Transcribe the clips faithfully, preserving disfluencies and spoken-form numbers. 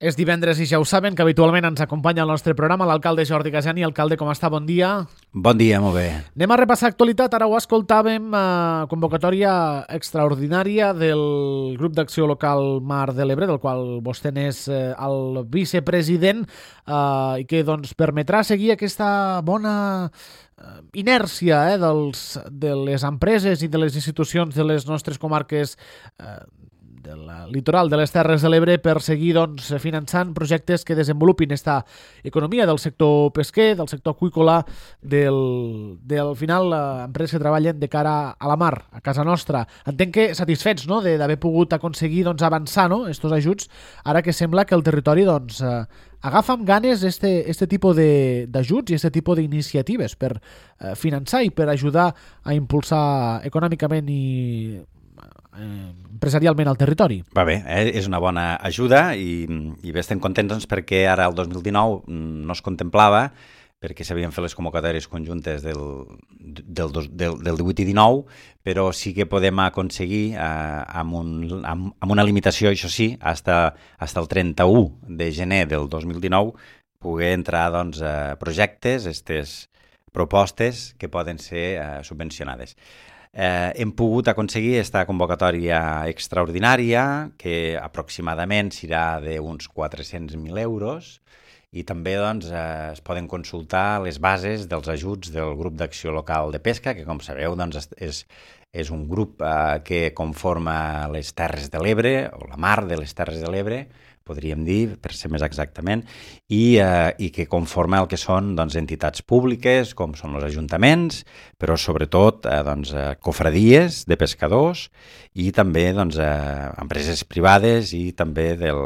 És divendres i ja ho saben que habitualment ens acompanya al nostre programa l'alcalde Jordi Casani. Alcalde, com està? Bon dia. Bon dia, molt bé. Anem a repassar actualitat. Ara ho escoltàvem, eh, convocatòria extraordinària del grup d'acció local Mar de l'Ebre, del qual vostè n'és eh, el vicepresident, eh, i que doncs, permetrà seguir aquesta bona eh, inèrcia eh, dels, de les empreses i de les institucions de les nostres comarques eh, del litoral de les Terres de l'Ebre per seguir doncs, finançant projectes que desenvolupin esta economia del sector pesquer, del sector aqüícola, del, del final empreses que treballen de cara a la mar, a casa nostra. Entenc que satisfets, no?, d'haver pogut aconseguir doncs, avançar, no?, estos ajuts, ara que sembla que el territori doncs, eh, agafa amb ganes este, este tipus d'ajuts i este tipus d'iniciatives per eh, finançar i per ajudar a impulsar econòmicament i Eh, empresarialment al territori. Va bé, eh? És una bona ajuda i, i bé, estem contents doncs, perquè ara el dos mil dinou no es contemplava perquè s'havien fet les convocatòries conjuntes del, del, del, del divuit i dinou, però sí que podem aconseguir eh, amb, un, amb, amb una limitació, això sí, hasta, hasta el trenta-u de gener del dos mil dinou poder entrar doncs, a projectes, aquestes propostes que poden ser eh, subvencionades. Eh, hem pogut aconseguir aquesta convocatòria extraordinària que aproximadament serà d'uns quatre-cents mil euros i també doncs, eh, es poden consultar les bases dels ajuts del grup d'acció local de pesca, que com sabeu doncs, és, és un grup eh, que conforma les Terres de l'Ebre, o la mar de les Terres de l'Ebre, podríem dir, per ser més exactament, i, eh, i que conforma el que són doncs, entitats públiques, com són els ajuntaments, però sobretot eh, doncs, eh, cofradies de pescadors i també doncs, eh, empreses privades i també del,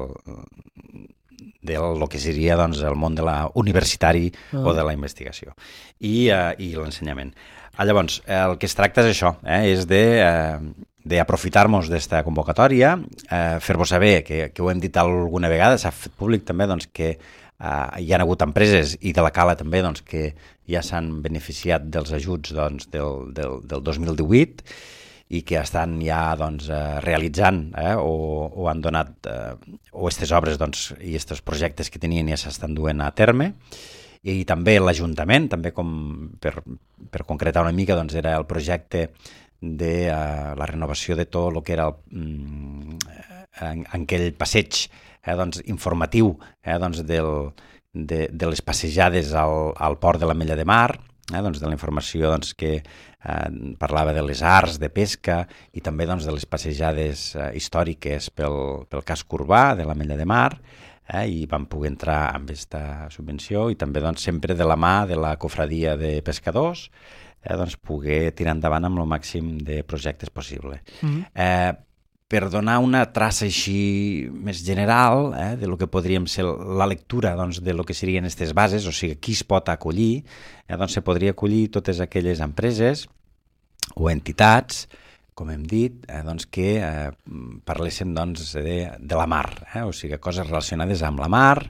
del lo que seria doncs, el món de la universitari ah. o de la investigació i, eh, i l'ensenyament. Ah, llavors, el que es tracta és això, eh, és de... Eh, d'aprofitar-nos d'esta convocatòria, eh, fer-vos saber, que, que ho hem dit alguna vegada, s'ha fet públic també doncs, que eh, hi ha hagut empreses i de la Cala també doncs, que ja s'han beneficiat dels ajuts doncs, del, del, del dos mil divuit i que estan ja doncs, eh, realitzant eh, o, o han donat, eh, o aquestes obres doncs, i aquests projectes que tenien ja s'estan duent a terme. I també l'Ajuntament, també com per, per concretar una mica, doncs, era el projecte de uh, la renovació de tot el que era el, mm, en, en aquell passeig eh, doncs, informatiu eh, doncs, del, de, de les passejades al, al port de l'Ametlla de Mar, eh, doncs, de la informació doncs, que eh, parlava de les arts de pesca i també doncs, de les passejades eh, històriques pel, pel casc urbà de l'Ametlla de Mar, eh, i vam poder entrar amb aquesta subvenció i també doncs, sempre de la mà de la cofradia de pescadors, Eh, doncs, poder tirar endavant amb el màxim de projectes possible. Mm-hmm. eh, per donar una traça així més general eh, de lo que podríem ser la lectura doncs, de lo que serien aquestes bases, o sigui, qui es pot acollir, eh, doncs se podria acollir totes aquelles empreses o entitats, com hem dit, eh, doncs, que eh, parlessin doncs, de, de la mar, eh, o sigui, coses relacionades amb la mar,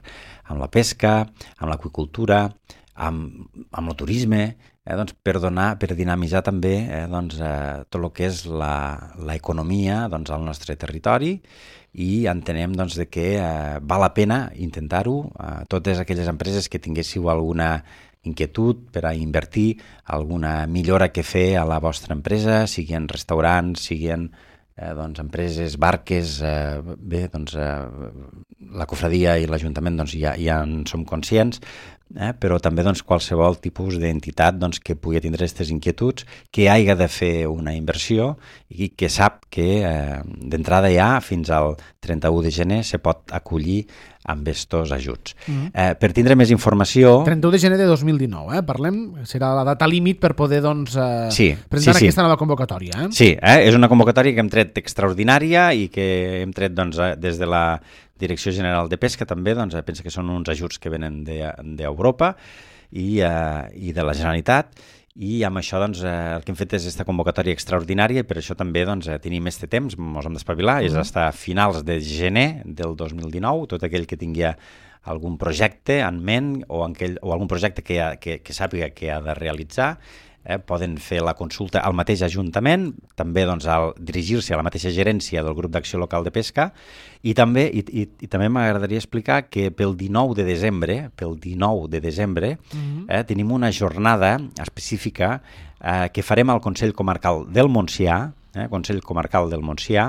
amb la pesca, amb l'aqüicultura, amb, amb el turisme, Eh, doncs, per donar, per dinamitzar també eh, doncs, eh, tot el que és l'economia doncs, al nostre territori i entenem doncs, de que eh, val la pena intentar-ho. Eh, totes aquelles empreses que tinguéssiu alguna inquietud per a invertir, alguna millora que fer a la vostra empresa, siguin restaurants, siguin eh, doncs, empreses, barques, eh, bé, doncs, eh, la cofradia i l'Ajuntament doncs, ja, ja en som conscients, Eh, però també doncs, qualsevol tipus d'entitat doncs, que pugui tindre aquestes inquietuds, que hagi de fer una inversió i que sap que eh, d'entrada ja fins al trenta-u de gener se pot acollir amb estos ajuts. Mm-hmm. eh, per tindre més informació... trenta-u de gener de dos mil dinou, eh? Parlem, serà la data límit per poder doncs, eh, sí, presentar sí, aquesta sí. nova convocatòria. Eh? Sí, eh? és una convocatòria que hem tret extraordinària i que hem tret doncs, des de la Direcció General de Pesca també, doncs, pensa que són uns ajuts que venen d'Europa i, eh, i de la Generalitat, i amb això doncs, eh, el que hem fet és aquesta convocatòria extraordinària i per això també doncs, tenim este temps, ens hem d'espavilar, mm-hmm. és fins a finals de gener del dos mil dinou, tot aquell que tingui algun projecte en ment o, aquell, o algun projecte que, ha, que, que sàpiga que ha de realitzar, eh, poden fer la consulta al mateix Ajuntament, també doncs, al dirigir-se a la mateixa gerència del Grup d'Acció Local de Pesca, i també, i, i, i també m'agradaria explicar que pel dinou de desembre, pel dinou de desembre, mm-hmm. eh, tenim una jornada específica eh, que farem al Consell Comarcal del Montsià, eh, Consell Comarcal del Montsià,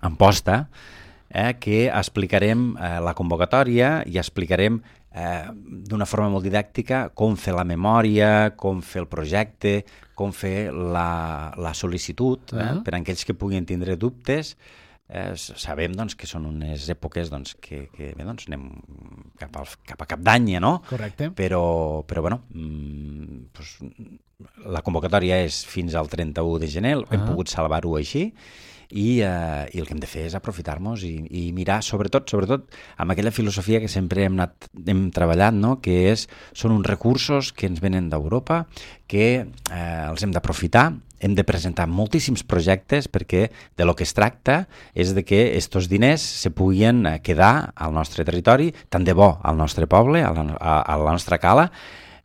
Amposta, eh, que explicarem eh, la convocatòria i explicarem eh, d'una forma molt didàctica com fer la memòria, com fer el projecte, com fer la, la sol·licitud, eh, uh-huh. per a aquells que puguin tindre dubtes. Eh, sabem doncs, que són unes èpoques doncs, que, que bé, doncs, anem cap, al, cap a cap d'any, no? Correcte. Però, però bueno, mm, doncs, la convocatòria és fins al trenta-u de gener, uh-huh. hem pogut salvar-ho així, I, eh, i el que hem de fer és aprofitar-nos i, i mirar, sobretot, sobretot amb aquella filosofia que sempre hem, anat, hem treballat, no? Que és, són uns recursos que ens venen d'Europa, que eh, els hem d'aprofitar, hem de presentar moltíssims projectes perquè de lo que es tracta és de que estos diners se puguin quedar al nostre territori, tant de bo al nostre poble, a la, a, a la nostra cala,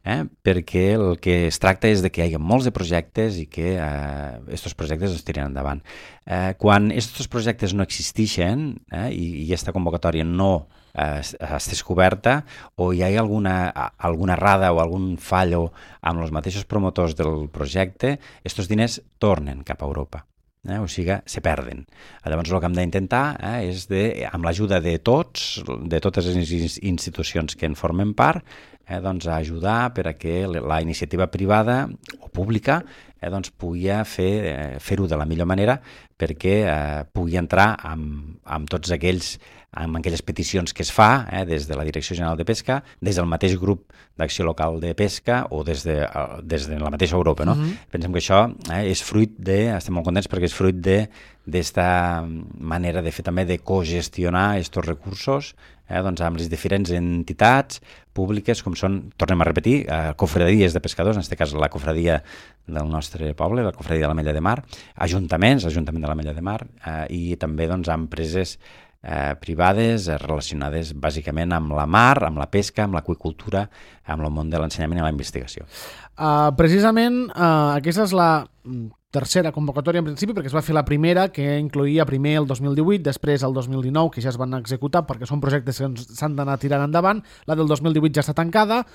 Eh, perquè el que es tracta és de que hi hagi molts de projectes i que aquests eh, projectes es tirin endavant. Eh, quan aquests projectes no existeixen eh, i, i aquesta convocatòria no eh, estés coberta o hi ha alguna, alguna errada o algun fallo amb els mateixos promotors del projecte, aquests diners tornen cap a Europa. Eh, o sigui, se perden. Llavors el que hem d'intentar eh, és, de, amb l'ajuda de tots, de totes les institucions que en formen part, eh, doncs, a ajudar per a que la iniciativa privada o pública eh, doncs, pugui fer, eh, fer-ho de la millor manera perquè eh, pugui entrar amb, amb tots aquells amb aquelles peticions que es fa eh, des de la Direcció General de Pesca, des del mateix grup d'acció local de pesca o des de, des de la mateixa Europa. No? Uh-huh. Pensem que això eh, és fruit de, estem molt contents perquè és fruit de d'esta manera de fer també de cogestionar aquests recursos eh, doncs amb les diferents entitats públiques com són, tornem a repetir, eh, cofradies de pescadors, en aquest cas la cofradia del nostre poble, la cofradia de l'Ametlla de Mar, ajuntaments, l'Ajuntament de l'Ametlla de Mar eh, i també doncs, empreses Eh, privades eh, relacionades bàsicament amb la mar, amb la pesca, amb l'aqüicultura, amb el món de l'ensenyament i la investigació. Uh, precisament uh, aquesta és la tercera convocatòria en principi, perquè es va fer la primera, que incloïa primer el dos mil divuit, després el dos mil dinou, que ja es van executar perquè són projectes que s'han d'anar tirant endavant. La del dos mil divuit ja està tancada,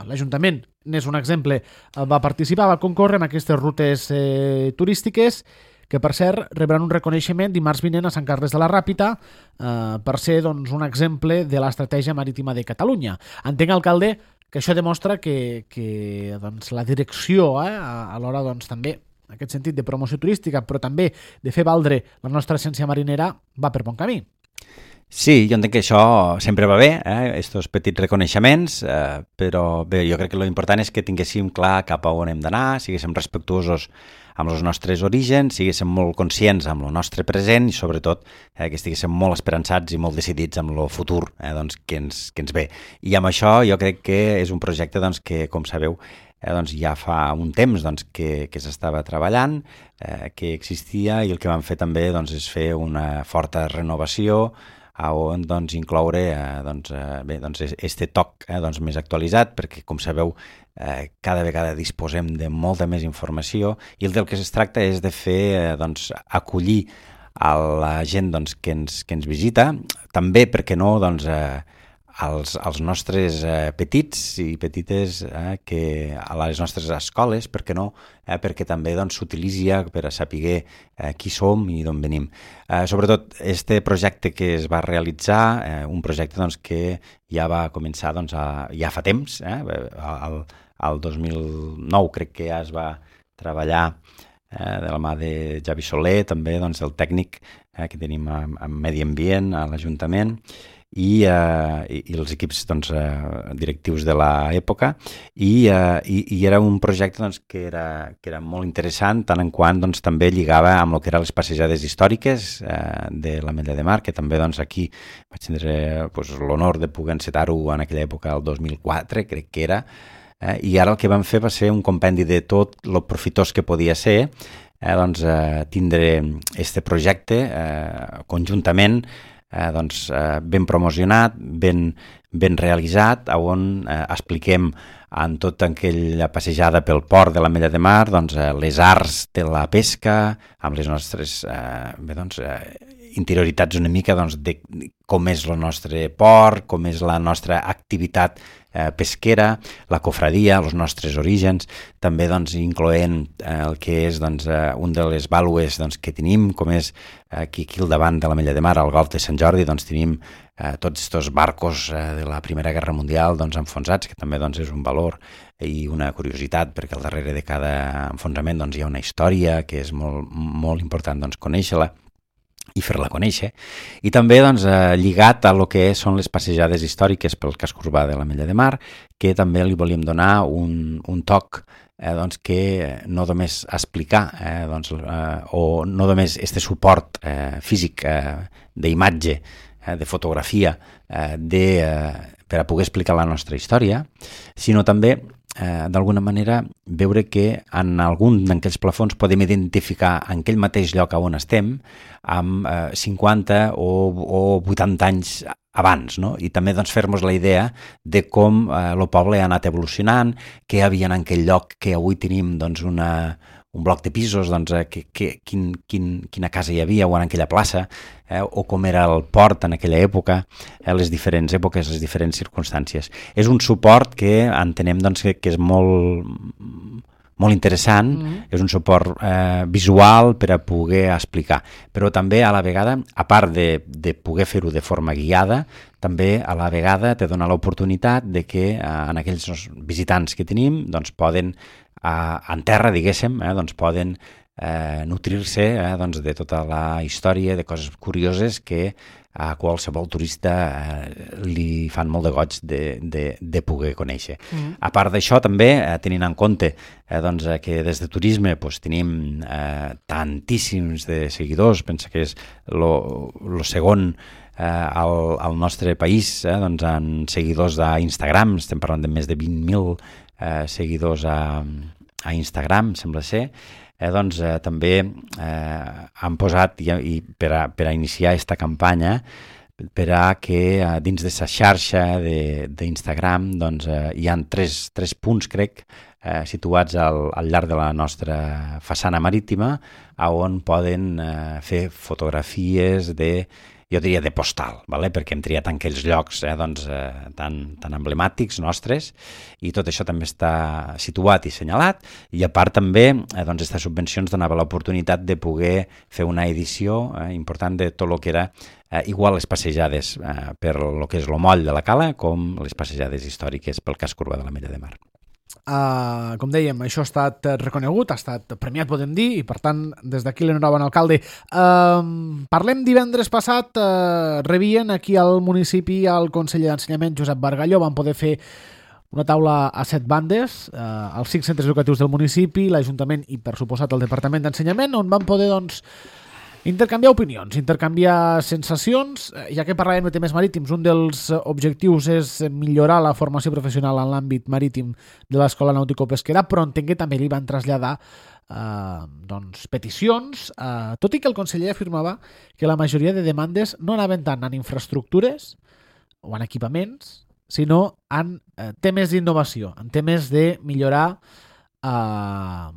l'Ajuntament n'és un exemple, va participar, va concórrer en aquestes rutes eh, turístiques, que per cert rebran un reconeixement dimarts vinent a Sant Carles de la Ràpita eh, per ser doncs, un exemple de l'estratègia marítima de Catalunya. Entenc, alcalde, que això demostra que, que doncs, la direcció eh, a, a l'hora doncs, també en aquest sentit de promoció turística, però també de fer valdre la nostra essència marinera, va per bon camí. Sí, jo entenc que això sempre va bé, eh, estos petits reconeixements, eh, però bé, jo crec que l'important és que tinguéssim clar cap a on hem d'anar, siguéssim respectuosos amb els nostres orígens, siguéssim molt conscients amb el nostre present i sobretot eh, que estiguéssim molt esperançats i molt decidits amb el futur eh, doncs, que, ens, que ens ve. I amb això jo crec que és un projecte doncs, que, com sabeu, eh, doncs, ja fa un temps doncs, que, que s'estava treballant, eh, que existia i el que vam fer també doncs, és fer una forta renovació on doncs, incloure eh, doncs, eh, bé, doncs, este toc eh, doncs, més actualitzat, perquè, com sabeu, eh, cada vegada disposem de molta més informació i el del que es tracta és de fer, eh, doncs, acollir a la gent doncs, que, ens, que ens visita, també, perquè no, doncs, eh, als, als nostres eh, petits i petites eh, que a les nostres escoles, perquè no, eh, perquè també doncs, s'utilitzi per a saber eh, qui som i d'on venim. Eh, sobretot, este projecte que es va realitzar, eh, un projecte doncs, que ja va començar doncs, a, ja fa temps, eh, al, al dos mil nou crec que ja es va treballar eh, de la mà de Javi Soler, també doncs, el tècnic eh, que tenim en Medi Ambient a l'Ajuntament, I, uh, i, i els equips doncs, uh, directius de l'època i, uh, i, i era un projecte doncs, que, era, que era molt interessant tant en quant doncs, també lligava amb el que eren les passejades històriques uh, de l'Ametlla de Mar, que també doncs, aquí vaig tindre pues, l'honor de poder encetar-ho en aquella època, el dos mil quatre crec que era, eh, i ara el que vam fer va ser un compendi de tot el profitós que podia ser eh, doncs, eh, tindre este projecte eh, conjuntament eh, doncs, eh, ben promocionat, ben, ben realitzat, on eh, expliquem en tota aquella passejada pel port de l'Ametlla de Mar doncs, eh, les arts de la pesca, amb les nostres eh, bé, doncs, eh, interioritats una mica doncs, de com és el nostre port, com és la nostra activitat eh, pesquera, la cofradia, els nostres orígens, també doncs, incloent eh, el que és doncs, eh, un de les vàlues doncs, que tenim, com és eh, aquí, aquí al davant de l'Ametlla de Mar, al Golf de Sant Jordi, doncs tenim eh, tots aquests barcos eh, de la Primera Guerra Mundial doncs, enfonsats, que també doncs, és un valor i una curiositat, perquè al darrere de cada enfonsament doncs, hi ha una història que és molt, molt important doncs, conèixer-la i fer-la conèixer, i també doncs, eh, lligat a lo que són les passejades històriques pel casc urbà de l'Ametlla de Mar, que també li volíem donar un, un toc eh, doncs, que no només explicar eh, doncs, eh, o no només este suport eh, físic eh, d'imatge, eh, de fotografia, eh, de, eh, per a poder explicar la nostra història, sinó també Eh, d'alguna manera veure que en algun d'aquells plafons podem identificar en aquell mateix lloc on estem amb eh, cinquanta o, o vuitanta anys abans, no? I també doncs, fer-nos la idea de com eh, el poble ha anat evolucionant, què hi havia en aquell lloc que avui tenim doncs, una, un bloc de pisos, doncs, eh, que, que, quin, quin, quina casa hi havia o en aquella plaça, eh, o com era el port en aquella època, eh, les diferents èpoques, les diferents circumstàncies. És un suport que entenem doncs, que, que és molt, molt interessant, mm-hmm. és un suport eh, visual per a poder explicar, però també a la vegada, a part de, de poder fer-ho de forma guiada, també a la vegada te dona l'oportunitat de que eh, en aquells visitants que tenim doncs, poden en terra, diguéssim, eh, doncs poden eh, nutrir-se eh, doncs de tota la història, de coses curioses que a qualsevol turista eh, li fan molt de goig de, de, de poder conèixer. Mm. A part d'això, també, eh, tenint en compte eh, doncs, que des de turisme doncs, tenim eh, tantíssims de seguidors, pensa que és el segon eh, al, al nostre país, eh, doncs, en seguidors a Instagram, estem parlant de més de vint mil eh, seguidors a a Instagram, sembla ser, eh, doncs eh, també eh, han posat, i, i per, a, per a iniciar aquesta campanya, per a que eh, dins d'aquesta xarxa d'Instagram doncs, eh, hi ha tres, tres punts, crec, eh, situats al, al llarg de la nostra façana marítima, on poden eh, fer fotografies de, jo diria de postal, vale? Perquè hem triat en aquells llocs eh, doncs, eh, tan, tan emblemàtics nostres, i tot això també està situat i assenyalat, i a part també eh, doncs, aquestes subvencions donava l'oportunitat de poder fer una edició eh, important de tot el que era eh, igual les passejades eh, per lo que és el moll de la Cala com les passejades històriques pel casc urbà de l'Ametlla de Mar. Uh, com dèiem, això ha estat reconegut, ha estat premiat, podem dir, i per tant, des d'aquí l'enhorabona, alcalde. Uh, parlem divendres passat, uh, rebien aquí al municipi el conseller d'Ensenyament, Josep Bargalló, van poder fer una taula a set bandes, uh, als cinc centres educatius del municipi, l'Ajuntament i, per suposat, el Departament d'Ensenyament, on van poder, doncs, intercanviar opinions, intercanviar sensacions, ja que parlàvem de temes marítims. Un dels objectius és millorar la formació professional en l'àmbit marítim de l'Escola Nàutico-Pesquera, però entenc que també li van traslladar eh, doncs, peticions, eh, tot i que el conseller afirmava que la majoria de demandes no anaven tant en infraestructures o en equipaments, sinó en eh, temes d'innovació, en temes de millorar eh,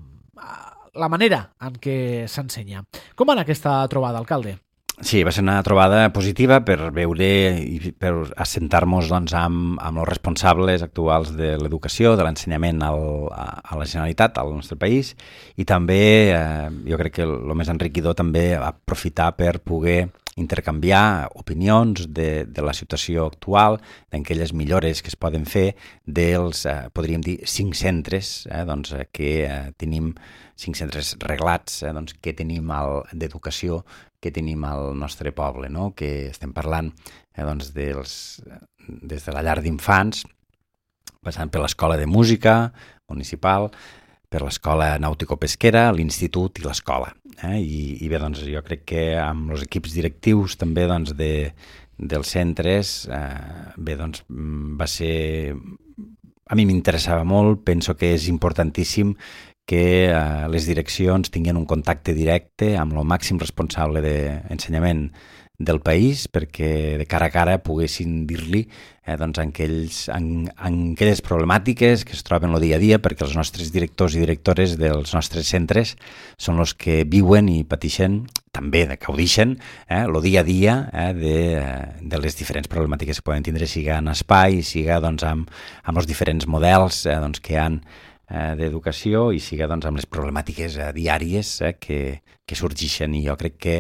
la manera en què s'ensenya. Com va anar aquesta trobada, alcalde? Sí, va ser una trobada positiva per veure i per assentar-nos doncs, amb, amb els responsables actuals de l'educació, de l'ensenyament al, a, a la Generalitat, al nostre país, i també, eh, jo crec que el més enriquidor també aprofitar per poder intercanviar opinions de, de la situació actual, d'aquelles millores que es poden fer dels, eh, podríem dir, cinc centres eh, doncs, que eh, tenim, cinc centres reglats eh, doncs, que tenim d'educació que tenim al nostre poble, no? Que estem parlant eh, doncs, dels, des de la llar d'infants, passant per l'Escola de Música Municipal, per l'Escola Nàutico-Pesquera, l'Institut i l'Escola. Eh? I, I bé, doncs, jo crec que amb els equips directius també doncs, de, dels centres, eh, bé, doncs, va ser... A mi m'interessava molt, penso que és importantíssim que eh, les direccions tinguin un contacte directe amb el màxim responsable d'ensenyament del país perquè de cara a cara poguessin dir-li eh, doncs, en, aquells, en, en aquelles problemàtiques que es troben el dia a dia, perquè els nostres directors i directores dels nostres centres són els que viuen i pateixen, també de gaudixen, eh, el dia a dia eh, de, de les diferents problemàtiques que poden tindre, siga en espai, siga doncs, amb, amb els diferents models eh, doncs, que hi ha eh, d'educació i siga doncs, amb les problemàtiques eh, diàries eh, que, que sorgeixen. I jo crec que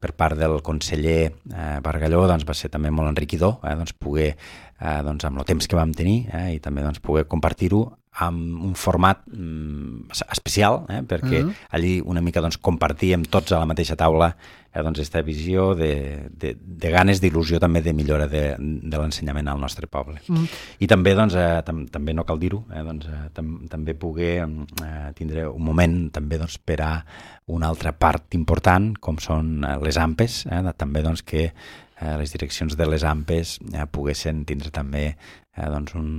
per part del conseller eh, Bargalló doncs, va ser també molt enriquidor eh, doncs, poder, eh, doncs, amb el temps que vam tenir eh, i també doncs, poder compartir-ho amb un format mm, especial, eh, perquè uh-huh. allí una mica doncs, compartíem tots a la mateixa taula eh, doncs, aquesta visió de, de, de ganes, d'il·lusió també de millora de, de l'ensenyament al nostre poble. Uh-huh. I també, doncs, eh, tam, també no cal dir-ho, eh, doncs, eh, tam, també poder eh, tindre un moment també doncs, per a una altra part important, com són eh, les A M P Es, eh, també doncs, que eh, les direccions de les A M P Es eh, poguessin tindre també eh, doncs un,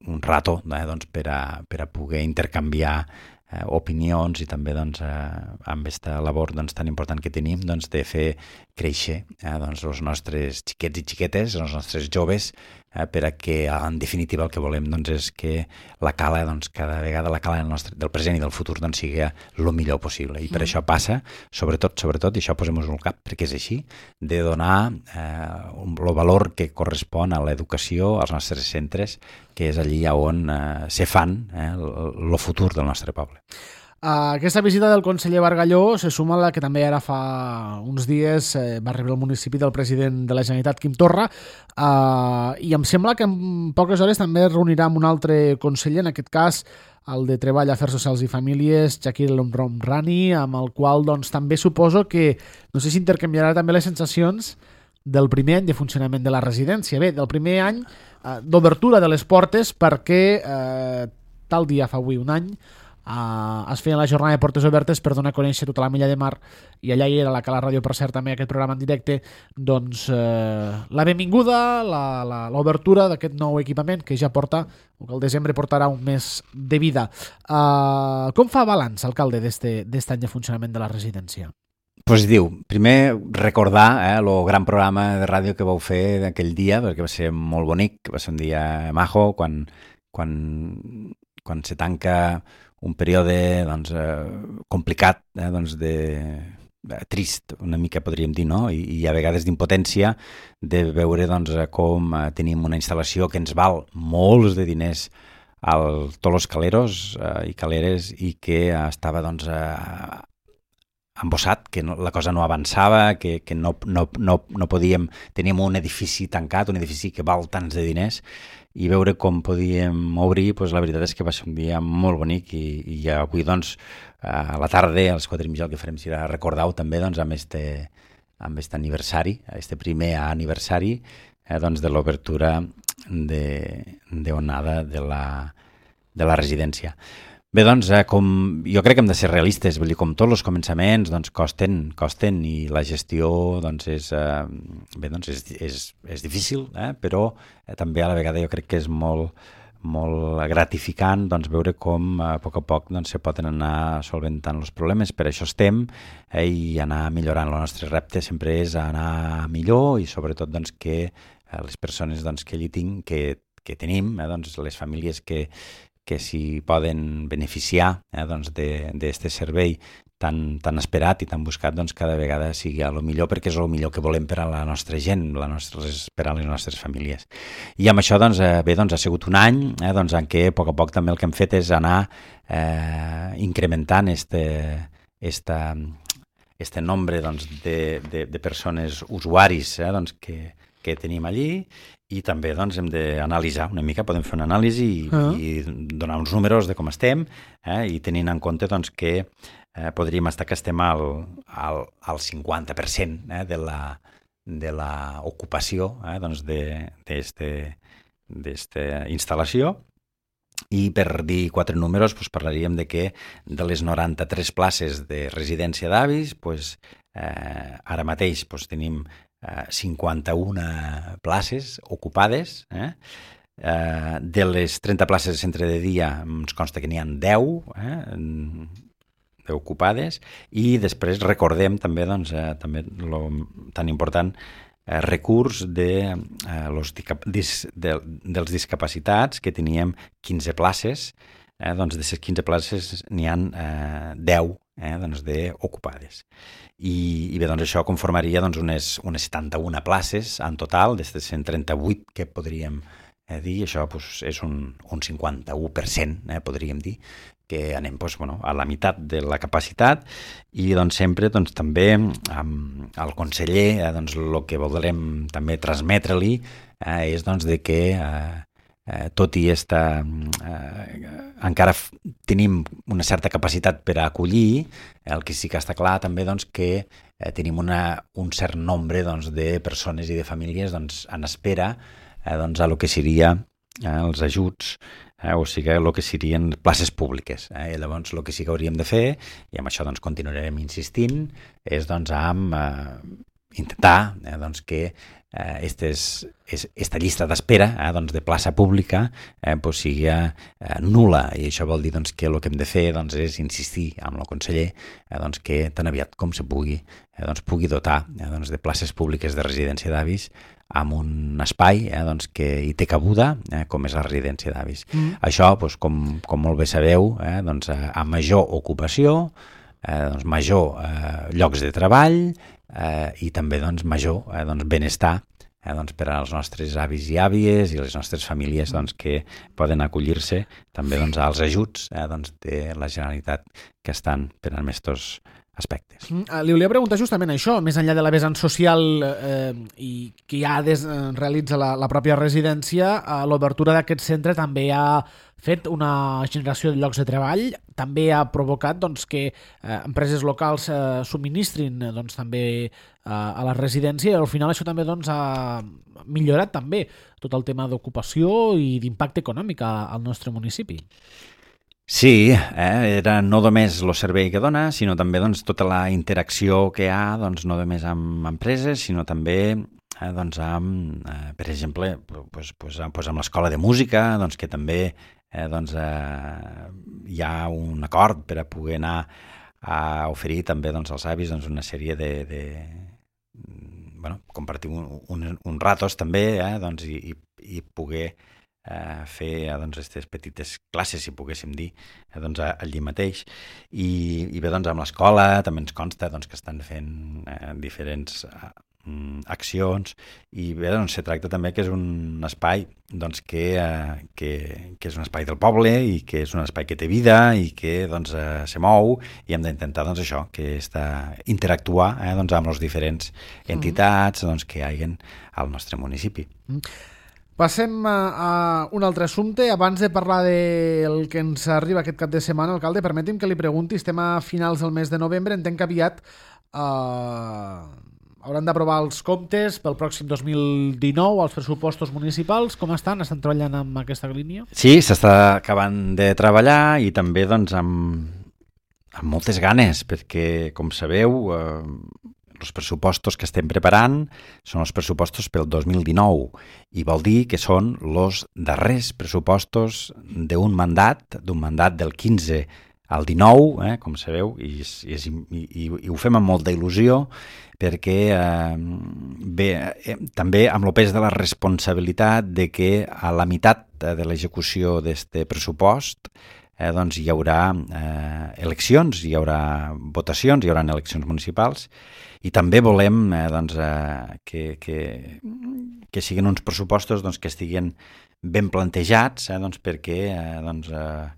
un rato eh, doncs per, a, per a poder intercanviar eh, opinions i també doncs, eh, amb aquesta labor doncs, tan important que tenim doncs, de fer créixer eh, doncs, els nostres xiquets i xiquetes, els nostres joves, eh, per a que en definitiva el que volem doncs, és que la cala, doncs, cada vegada la cala del, nostre, del present i del futur doncs, sigui el millor possible. I per mm. això passa, sobretot, sobretot, i això posem-nos al cap, perquè és així, de donar eh, el valor que correspon a l'educació als nostres centres, que és allí on eh, se fan eh, el futur del nostre poble. Uh, aquesta visita del conseller Bargalló se suma a la que també ara fa uns dies eh, va arribar al municipi del president de la Generalitat, Quim Torra, uh, i em sembla que en poques hores també es reunirà amb un altre conseller, en aquest cas el de Treball, Afers Socials i Famílies, Chakir El Homrani, amb el qual doncs, també suposo que, no sé si intercanviarà també les sensacions del primer any de funcionament de la residència. Bé, del primer any eh, d'obertura de les portes perquè eh, tal dia fa avui un any Uh, es feien la jornada de portes obertes per donar a conèixer tota la Milla de Mar, i allà hi era la Cala Ràdio, per cert, també aquest programa en directe, doncs uh, la benvinguda, l'obertura d'aquest nou equipament que ja porta, o que al desembre portarà un mes de vida. Uh, com fa balanç, alcalde, d'este any de funcionament de la residència? Positiu. Primer, recordar eh, el gran programa de ràdio que vau fer aquell dia, perquè va ser molt bonic, va ser un dia majo, quan, quan, quan se tanca un període doncs, eh, complicat, eh, doncs de, de trist, una mica podríem dir, no? I, i a vegades d'impotència de veure doncs, com eh, tenim una instal·lació que ens val molts de diners al tots els caleros eh, i caleres i que eh, estava doncs, eh, embossat, que no, la cosa no avançava, que, que no, no, no, no podíem... Teníem un edifici tancat, un edifici que val tants de diners, i veure com podíem obrir, doncs la veritat és que va ser un dia molt bonic i, i avui, doncs, a la tarda, a les quatre i mitja, el que farem serà recordar-ho també doncs, amb este, amb este aniversari, este primer aniversari eh, doncs, de l'obertura d'onada de, de, la, de la residència. Bé, doncs, eh, com, jo crec que hem de ser realistes, vull dir, com tots els començaments, doncs, costen, costen i la gestió, doncs, és, eh, bé, doncs, és, és, és difícil, eh, però eh, també a la vegada jo crec que és molt, molt gratificant, doncs, veure com a poc a poc, doncs, se poden anar solventant els problemes. Per això estem, eh, i anar millorant. El nostre repte sempre és anar millor i sobretot, doncs, que eh, les persones, doncs, que allí tinc, que, que tenim, eh, doncs, les famílies que que s'hi poden beneficiar eh, doncs d'aquest servei tan, tan esperat i tan buscat, doncs cada vegada sigui el millor, perquè és el millor que volem per a la nostra gent, la nostra, per a les nostres famílies. I amb això, doncs, eh, bé, doncs ha sigut un any eh, doncs, en què a poc a poc també el que hem fet és anar eh, incrementant este, esta, este nombre doncs, de, de, de persones usuaris eh, doncs, que, que tenim allí. I també doncs, hem d'analitzar una mica, podem fer una anàlisi i, uh-huh. i donar uns números de com estem, eh, i tenint en compte doncs, que eh, podríem estar que estem al, al, al cinquanta per cent eh, de la de la ocupació eh, doncs d'esta instal·lació. I per dir quatre números doncs, parlaríem de que de les noranta-tres places de residència d'avis, doncs, eh, ara mateix doncs, tenim cinquanta-una places ocupades, eh? Eh, de les trenta places de centre de dia ens consta que n'hi ha deu, eh? ocupades, i després recordem també, doncs, eh, també lo tan important, eh, recurs de, eh, los dis, de, dels discapacitats, que teníem quinze places, eh, doncs de les quinze places n'hi ha eh, deu eh, doncs d'ocupades. I, I bé, doncs això conformaria doncs, unes, unes setanta-una places en total, des de cent trenta-vuit que podríem eh, dir, això doncs, és un, un cinquanta-u per cent, eh, podríem dir, que anem doncs, bueno, a la meitat de la capacitat, i doncs, sempre doncs, també amb el conseller eh, doncs, el que voldrem també transmetre-li eh, és doncs, de que eh, eh, tot i esta, eh, encara f- tenim una certa capacitat per a acollir, el que sí que està clar també doncs, que eh, tenim una, un cert nombre doncs, de persones i de famílies doncs, en espera eh, doncs, a lo que seria eh, els ajuts, eh, o sigui, el que serien places públiques. Eh? I llavors el que sí que hauríem de fer, i amb això doncs, continuarem insistint, és doncs, amb eh, intentar eh, doncs, que eh, estes, es, esta llista d'espera eh, doncs, de plaça pública eh, pues, sigui eh, nul·la, i això vol dir doncs, que el que hem de fer doncs, és insistir amb el conseller eh, doncs, que tan aviat com se pugui eh, doncs, pugui dotar eh, doncs, de places públiques de residència d'avis amb un espai eh, doncs, que hi té cabuda, eh, com és la residència d'avis. Mm. Això, doncs, com, com molt bé sabeu, eh, doncs, a major ocupació, eh, doncs, major eh, llocs de treball eh, i també doncs, major eh, doncs, benestar eh, doncs, per als nostres avis i àvies i les nostres famílies doncs, que poden acollir-se també doncs, als ajuts eh, doncs, de la Generalitat que estan per a aquests aspectes. Mm, Li volia preguntar justament això, més enllà de la vessant social eh, i que ja des, eh, realitza la, la pròpia residència, eh, l'obertura d'aquest centre també ha fet una generació de llocs de treball, també ha provocat doncs, que eh, empreses locals eh, subministrin eh, doncs, també eh, a la residència, i al final això també doncs, ha millorat també tot el tema d'ocupació i d'impacte econòmic a, al nostre municipi. Sí, eh, era no només el servei que dona, sinó també doncs, tota la interacció que hi ha, doncs, no només amb empreses, sinó també eh, doncs, amb, eh, per exemple, pues, pues, pues, amb l'escola de música, doncs, que també eh, doncs, eh, hi ha un acord per a poder anar a oferir també doncs, als avis doncs, una sèrie de, de bueno, compartir un, un, un ratos també eh, doncs, i, i, i poder eh, fer doncs, aquestes petites classes, si poguéssim dir, eh, doncs, allí mateix. I, i bé, doncs, amb l'escola també ens consta doncs, que estan fent eh, diferents eh, accions, i bé, doncs, se tracta també que és un espai doncs, que, eh, que, que és un espai del poble i que és un espai que té vida i que doncs, eh, se mou, i hem d'intentar doncs, això, que està, interactuar eh, doncs, amb les diferents entitats doncs, que hi hagin al nostre municipi. Mm. Passem a, a un altre assumpte. Abans de parlar del que ens arriba aquest cap de setmana, alcalde, permeti'm que li pregunti, estem a finals del mes de novembre, entenc que aviat eh, hauran d'aprovar els comptes pel pròxim dos mil dinou, els pressupostos municipals. Com estan? Estan treballant amb aquesta línia? Sí, s'està acabant de treballar, i també doncs, amb, amb moltes ganes, perquè, com sabeu, eh, els pressupostos que estem preparant són els pressupostos pel dos mil dinou, i vol dir que són els darrers pressupostos d'un mandat, d'un mandat del quinze al dinou, eh, com sabeu, i, i, i, i, i ho fem amb molta il·lusió, perquè eh, bé, eh, també amb el pes de la responsabilitat de que a la meitat de l'execució d'aquest pressupost eh, doncs hi haurà eh, eleccions, hi haurà votacions, hi haurà eleccions municipals, i també volem eh, doncs, eh, que, que, que siguin uns pressupostos doncs, que estiguin ben plantejats, eh, doncs, perquè eh, doncs, eh,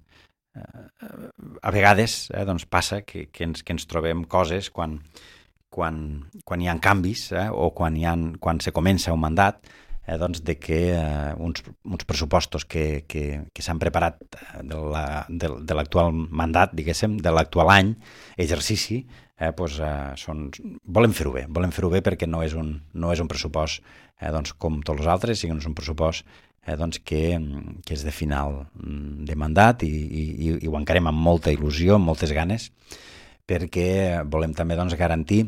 a vegades eh, doncs, passa que, que, ens, que ens trobem coses quan, quan, quan hi ha canvis eh, o quan, hi ha, quan se comença un mandat, eh, doncs, de que eh, uns, uns pressupostos que, que, que s'han preparat de, la, de, de l'actual mandat, diguéssim, de l'actual any, exercici, Eh, doncs, eh, són, volem fer-ho bé, volem fer-ho bé perquè no és un, no és un pressupost eh, doncs, com tots els altres, sinó és un pressupost eh, doncs, que, que és de final de mandat, i, i, i ho encarem amb molta il·lusió, amb moltes ganes, perquè volem també doncs, garantir,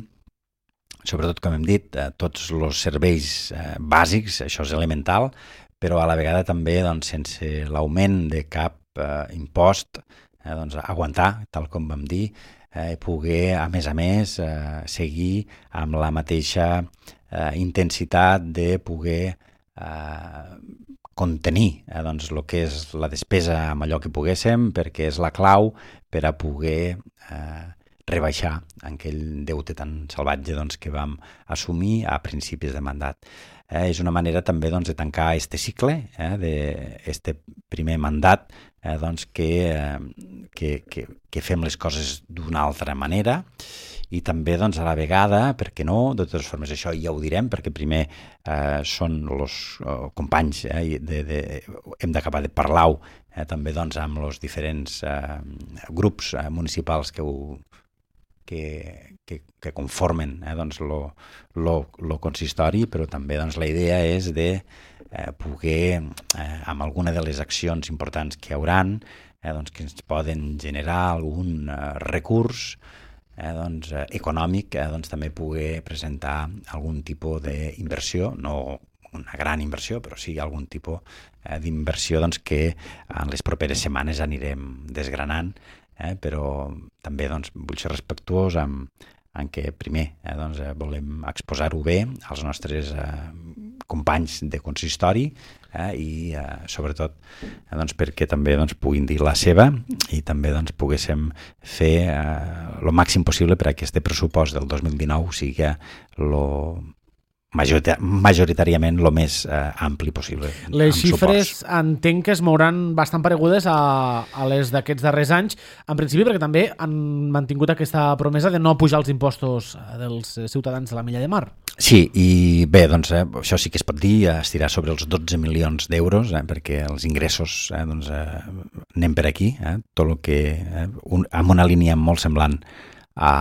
sobretot com hem dit, eh, tots els serveis eh, bàsics, això és elemental, però a la vegada també doncs, sense l'augment de cap eh, impost, eh, doncs, aguantar, tal com vam dir, eh, poder, a més a més, eh, seguir amb la mateixa eh, intensitat de poder eh, contenir eh, doncs, el que és la despesa amb allò que poguéssim, perquè és la clau per a poder eh, rebaixar aquell deute tan salvatge doncs, que vam assumir a principis de mandat. Eh, és una manera també doncs, de tancar este cicle, eh, d'este primer mandat, eh, doncs, que, eh, que, que, que fem les coses d'una altra manera i també doncs, a la vegada, per què no, de totes formes això ja ho direm, perquè primer eh, són els eh, companys, eh, de, de, hem d'acabar de parlar-ho eh, també doncs, amb els diferents eh, grups eh, municipals que ho Que, que, que conformen eh, doncs, lo, lo, lo consistori, però també doncs, la idea és de eh, poder, eh, amb alguna de les accions importants que hi hauran, eh, doncs, que ens poden generar algun eh, recurs eh, doncs, eh, econòmic, eh, doncs, també poder presentar algun tipus d'inversió, no una gran inversió, però sí algun tipus eh, d'inversió doncs, que en les properes setmanes anirem desgranant. Eh, però també doncs, vull ser respectuós amb, amb que primer eh, doncs, eh, volem exposar-ho bé als nostres eh, companys de consistori eh, i eh, sobretot eh, doncs, perquè també doncs, puguin dir la seva i també doncs, poguéssim fer el eh, màxim possible per a que aquest pressupost del dos mil dinou sigui lo majoritàriament el més eh, ampli possible. Les xifres suports. Entenc que es mouran bastant paregudes a, a les d'aquests darrers anys, en principi perquè també han mantingut aquesta promesa de no pujar els impostos dels ciutadans de la Mella de Mar. Sí, i bé, doncs eh, això sí que es pot dir, estirar sobre els dotze milions d'euros, eh, perquè els ingressos eh, doncs, eh, anem per aquí, eh, tot el que, eh, un, amb una línia molt semblant a,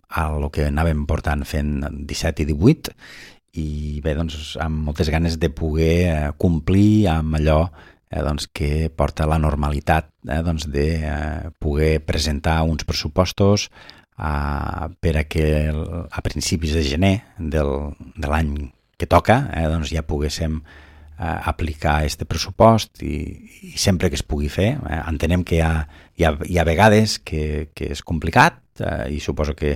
a el que anàvem portant fent disset i divuit, i bé, doncs, amb moltes ganes de poder eh, complir amb allò eh, doncs, que porta la normalitat eh, doncs, de eh, poder presentar uns pressupostos eh, per a que a principis de gener del, de l'any que toca eh, doncs, ja poguéssim eh, aplicar este pressupost i, i sempre que es pugui fer. Eh, entenem que hi ha, hi ha, hi ha vegades que, que és complicat, i suposo que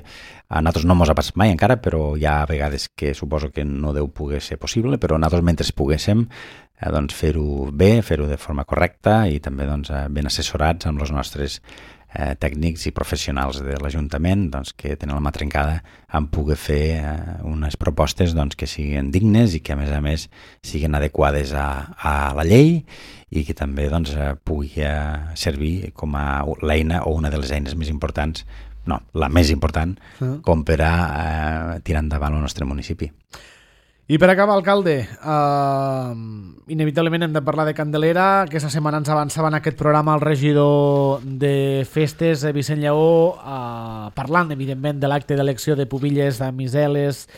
a nosaltres no mos ha passat mai encara, però hi ha vegades que suposo que no deu poder ser possible, però nosaltres mentre poguéssim eh, doncs fer-ho bé, fer-ho de forma correcta i també doncs, ben assessorats amb els nostres eh, tècnics i professionals de l'Ajuntament doncs, que tenen la mà trencada en poder fer eh, unes propostes doncs, que siguin dignes i que a més a més siguin adequades a, a la llei i que també doncs, pugui eh, servir com a l'eina o una de les eines més importants, no, la més important, uh-huh. com per a eh, tirar endavant el nostre municipi. I per acabar, alcalde, eh, inevitablement hem de parlar de Candelera. Aquesta setmana ens avançava en aquest programa el regidor de Festes, Vicent Lleó, eh, parlant, evidentment, de l'acte d'elecció de Pubilles, de Miseles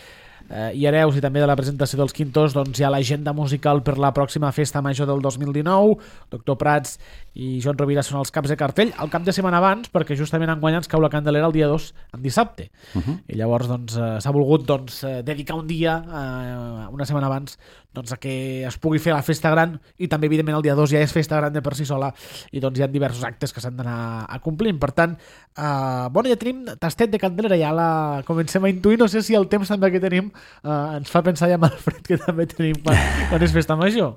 eh, i Hereus i també de la presentació dels Quintos. Doncs hi ha l'agenda musical per la pròxima festa major del dos mil dinou. Doctor Prats i Joan Rovira són els caps de cartell el cap de setmana abans, perquè justament enguany ens cau la Candelera el dia dos, en dissabte. Uh-huh. I llavors doncs, eh, s'ha volgut doncs, eh, dedicar un dia, eh, una setmana abans, doncs, a que es pugui fer la festa gran, i també evidentment el dia dos ja és festa gran de per si sola, i doncs hi ha diversos actes que s'han d'anar acomplint. Per tant, eh, bueno, ja tenim tastet de Candelera, ja la comencem a intuir. No sé si el temps també que tenim eh, ens fa pensar ja en el fred que també tenim quan, quan és festa major.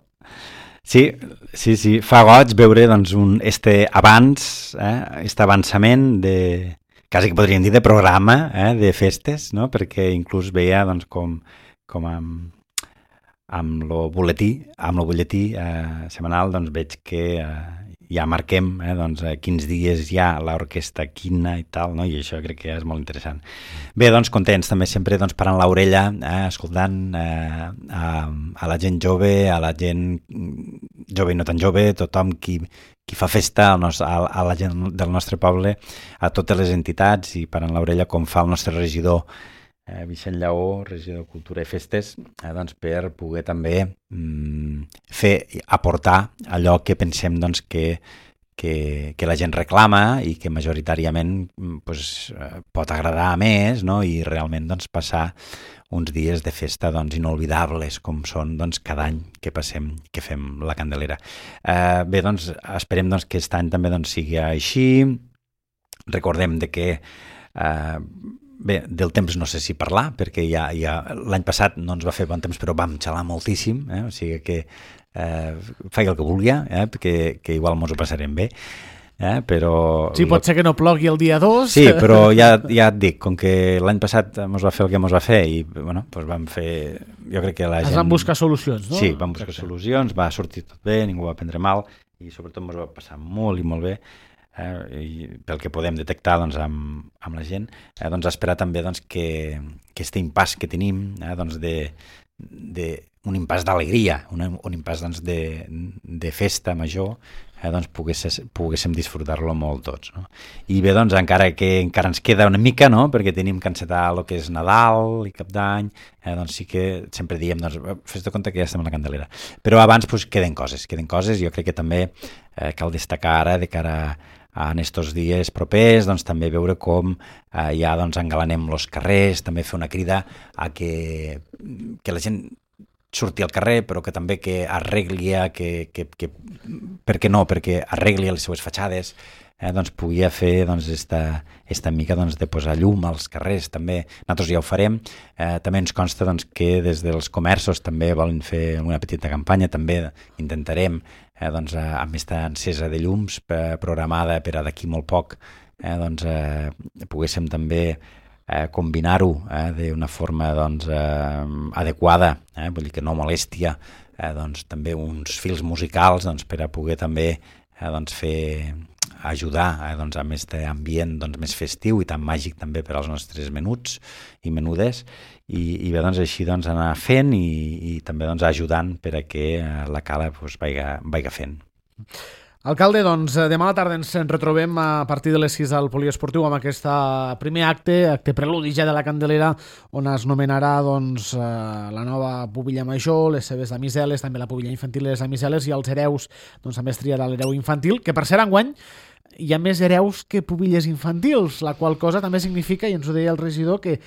Sí, sí, sí, fa goig veure doncs, un, este abans, eh, este avançament de, quasi que podríem dir de programa eh, de festes, no? Perquè inclús veia doncs, com, com amb, amb lo butlletí, amb lo butlletí eh, setmanal doncs, veig que eh, ja marquem eh, doncs, quins dies hi ha l'orquestra quina i tal, no? I això crec que és molt interessant. Bé, doncs contents també sempre doncs, parant l'orella, eh, escoltant eh, a, a la gent jove, a la gent jove i no tan jove, tothom qui, qui fa festa a, nos, a, a la gent del nostre poble, a totes les entitats, i parant l'orella com fa el nostre regidor Eh, Vicent Lleó, regidor de Cultura i Festes, eh, doncs, per poder també mm, fer, aportar allò que pensem doncs, que, que, que la gent reclama i que majoritàriament pues, eh, pot agradar a més, no? I realment doncs, passar uns dies de festa doncs, inolvidables com són doncs, cada any que passem, que fem la Candelera. Eh, bé, doncs esperem doncs, que aquest any també doncs, sigui així. Recordem de que eh, bé, del temps no sé si parlar, perquè ja, ja l'any passat no ens va fer bon temps, però vam xalar moltíssim, eh? O sigui que eh, faig el que vulgui, eh? que, que igual mos ho passarem bé. Eh? Però... Sí, pot ser que no plogui el dia dos. Sí, però ja, ja et dic, com que l'any passat mos va fer el que mos va fer i bueno, doncs vam fer... Jo crec que la es gent... van buscar solucions, no? Sí, vam buscar Exacte. solucions, va sortir tot bé, ningú va prendre mal i sobretot mos va passar molt i molt bé. Eh, i pel que podem detectar doncs, amb, amb la gent, eh, doncs esperar també doncs, que, que este impàs que tenim eh, doncs, de, de, un impàs d'alegria, un, un impàs doncs, de, de festa major, eh, doncs, pogués, poguéssim disfrutar-lo molt tots. No? I bé, doncs, encara que encara ens queda una mica, no? Perquè tenim que encetar el que és Nadal i Cap d'Any, eh, doncs sí que sempre diem, doncs, fes de compte que ja estem a la Candelera. Però abans doncs, queden coses, queden coses, jo crec que també eh, cal destacar ara de cara a en estos dies propers, doncs, també veure com eh, ja doncs, engalanem els carrers, també fer una crida a que, que la gent surti al carrer, però que també que arregli, que, que, que, per què no, perquè arregli les seues fatxades, eh, doncs pugui fer doncs, esta, esta mica doncs, de posar llum als carrers, també nosaltres ja ho farem, eh, també ens consta doncs, que des dels comerços també volen fer una petita campanya, també intentarem eh, doncs, eh, amb aquesta encesa de llums eh, programada per a d'aquí molt poc, eh, doncs eh, poguéssim també eh, combinar-ho eh, d'una forma doncs, eh, adequada, eh, vull dir que no molèstia, eh, doncs, també uns fils musicals doncs, per a poder també eh, doncs, fer ajudar eh, doncs, amb aquest ambient doncs, més festiu i tan màgic també per als nostres menuts i menudes i, i bé, doncs, així doncs, anar fent i, i també doncs, ajudant per a que eh, la cala doncs, vaiga, vaiga fent. Alcalde, doncs demà a la tarda ens retrobem a partir de les sis al Poliesportiu amb aquest primer acte, acte preludi ja de la Candelera, on es nomenarà doncs, la nova pubilla major, les seves damiseles, també la pubilla infantil i les damiseles, i els hereus doncs, també es triarà l'hereu infantil, que per ser enguany hi ha més hereus que pubilles infantils, la qual cosa també significa, i ens ho deia el regidor, que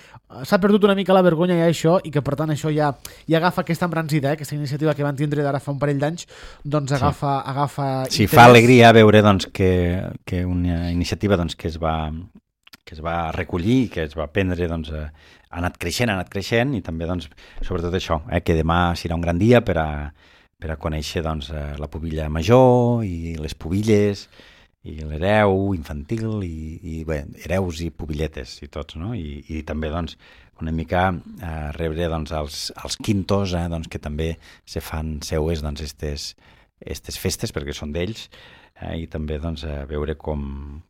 s'ha perdut una mica la vergonya ja això i que per tant això ja, ja agafa aquesta embranzida, eh? Aquesta iniciativa que van tindre d'ara fa un parell d'anys, doncs agafa, sí. agafa sí, interès. Fa alegria veure doncs, que, que una iniciativa doncs, que, es va, que es va recollir, que es va prendre, doncs, ha anat creixent, ha anat creixent i també doncs, sobretot això, eh? Que demà serà un gran dia per a, per a conèixer doncs, la pubilla major i les pubilles i l'hereu infantil i, i bé, hereus i pubilletes i tots, no? I, i també doncs, una mica eh, rebre doncs, els, els quintos eh, doncs, que també se fan seues doncs, estes, estes festes perquè són d'ells eh, i també doncs, eh, veure com,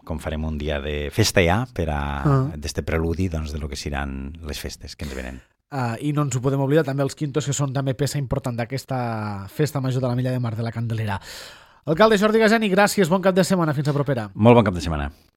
com farem un dia de festa ja per a ah. d'este preludi doncs, de lo que seran les festes que ens venen. Uh, I no ens ho podem oblidar també els quintos, que són també peça important d'aquesta festa major de la Milla de Mar de la Candelera. Alcalde Jordi Gajani, gràcies, bon cap de setmana, fins a propera. Molt bon cap de setmana.